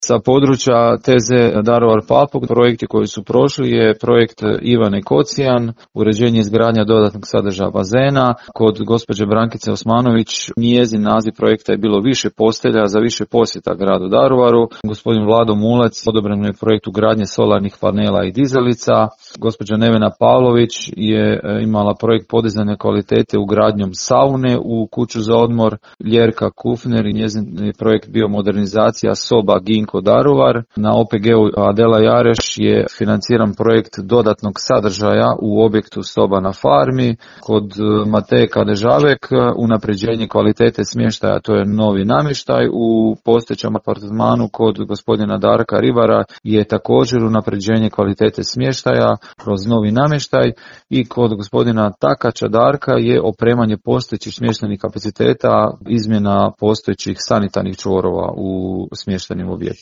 Sa područja TZ Daruvar-Papuk projekti koji su prošli je projekt Ivane Kocijan, uređenje i izgradnja dodatnog sadržaja bazena. Kod gospođe Brankice Osmanović njezin naziv projekta je bilo više postelja za više posjeta gradu Daruvaru. Gospodin Vlado Mulec odobren je projekt ugradnje solarnih panela i dizalica. Gospođa Nevena Pavlović je imala projekt podizanja kvalitete ugradnjom saune u kuću za odmor. Ljerka Kufner i njezin je projekt bio modernizacija soba Ginko Daruvar. Na OPG-u Adela Jareš je financiran projekt dodatnog sadržaja u objektu soba na farmi. Kod Mateje Kadežavek unapređenje kvalitete smještaja, to je novi namještaj. U postojećem apartmanu kod gospodina Darka Ribara je također unapređenje kvalitete smještaja kroz novi namještaj i kod gospodina Takača Darka je opremanje postojećih smještajnih kapaciteta, izmjena postojećih sanitarnih čvorova u smještajnim objektima.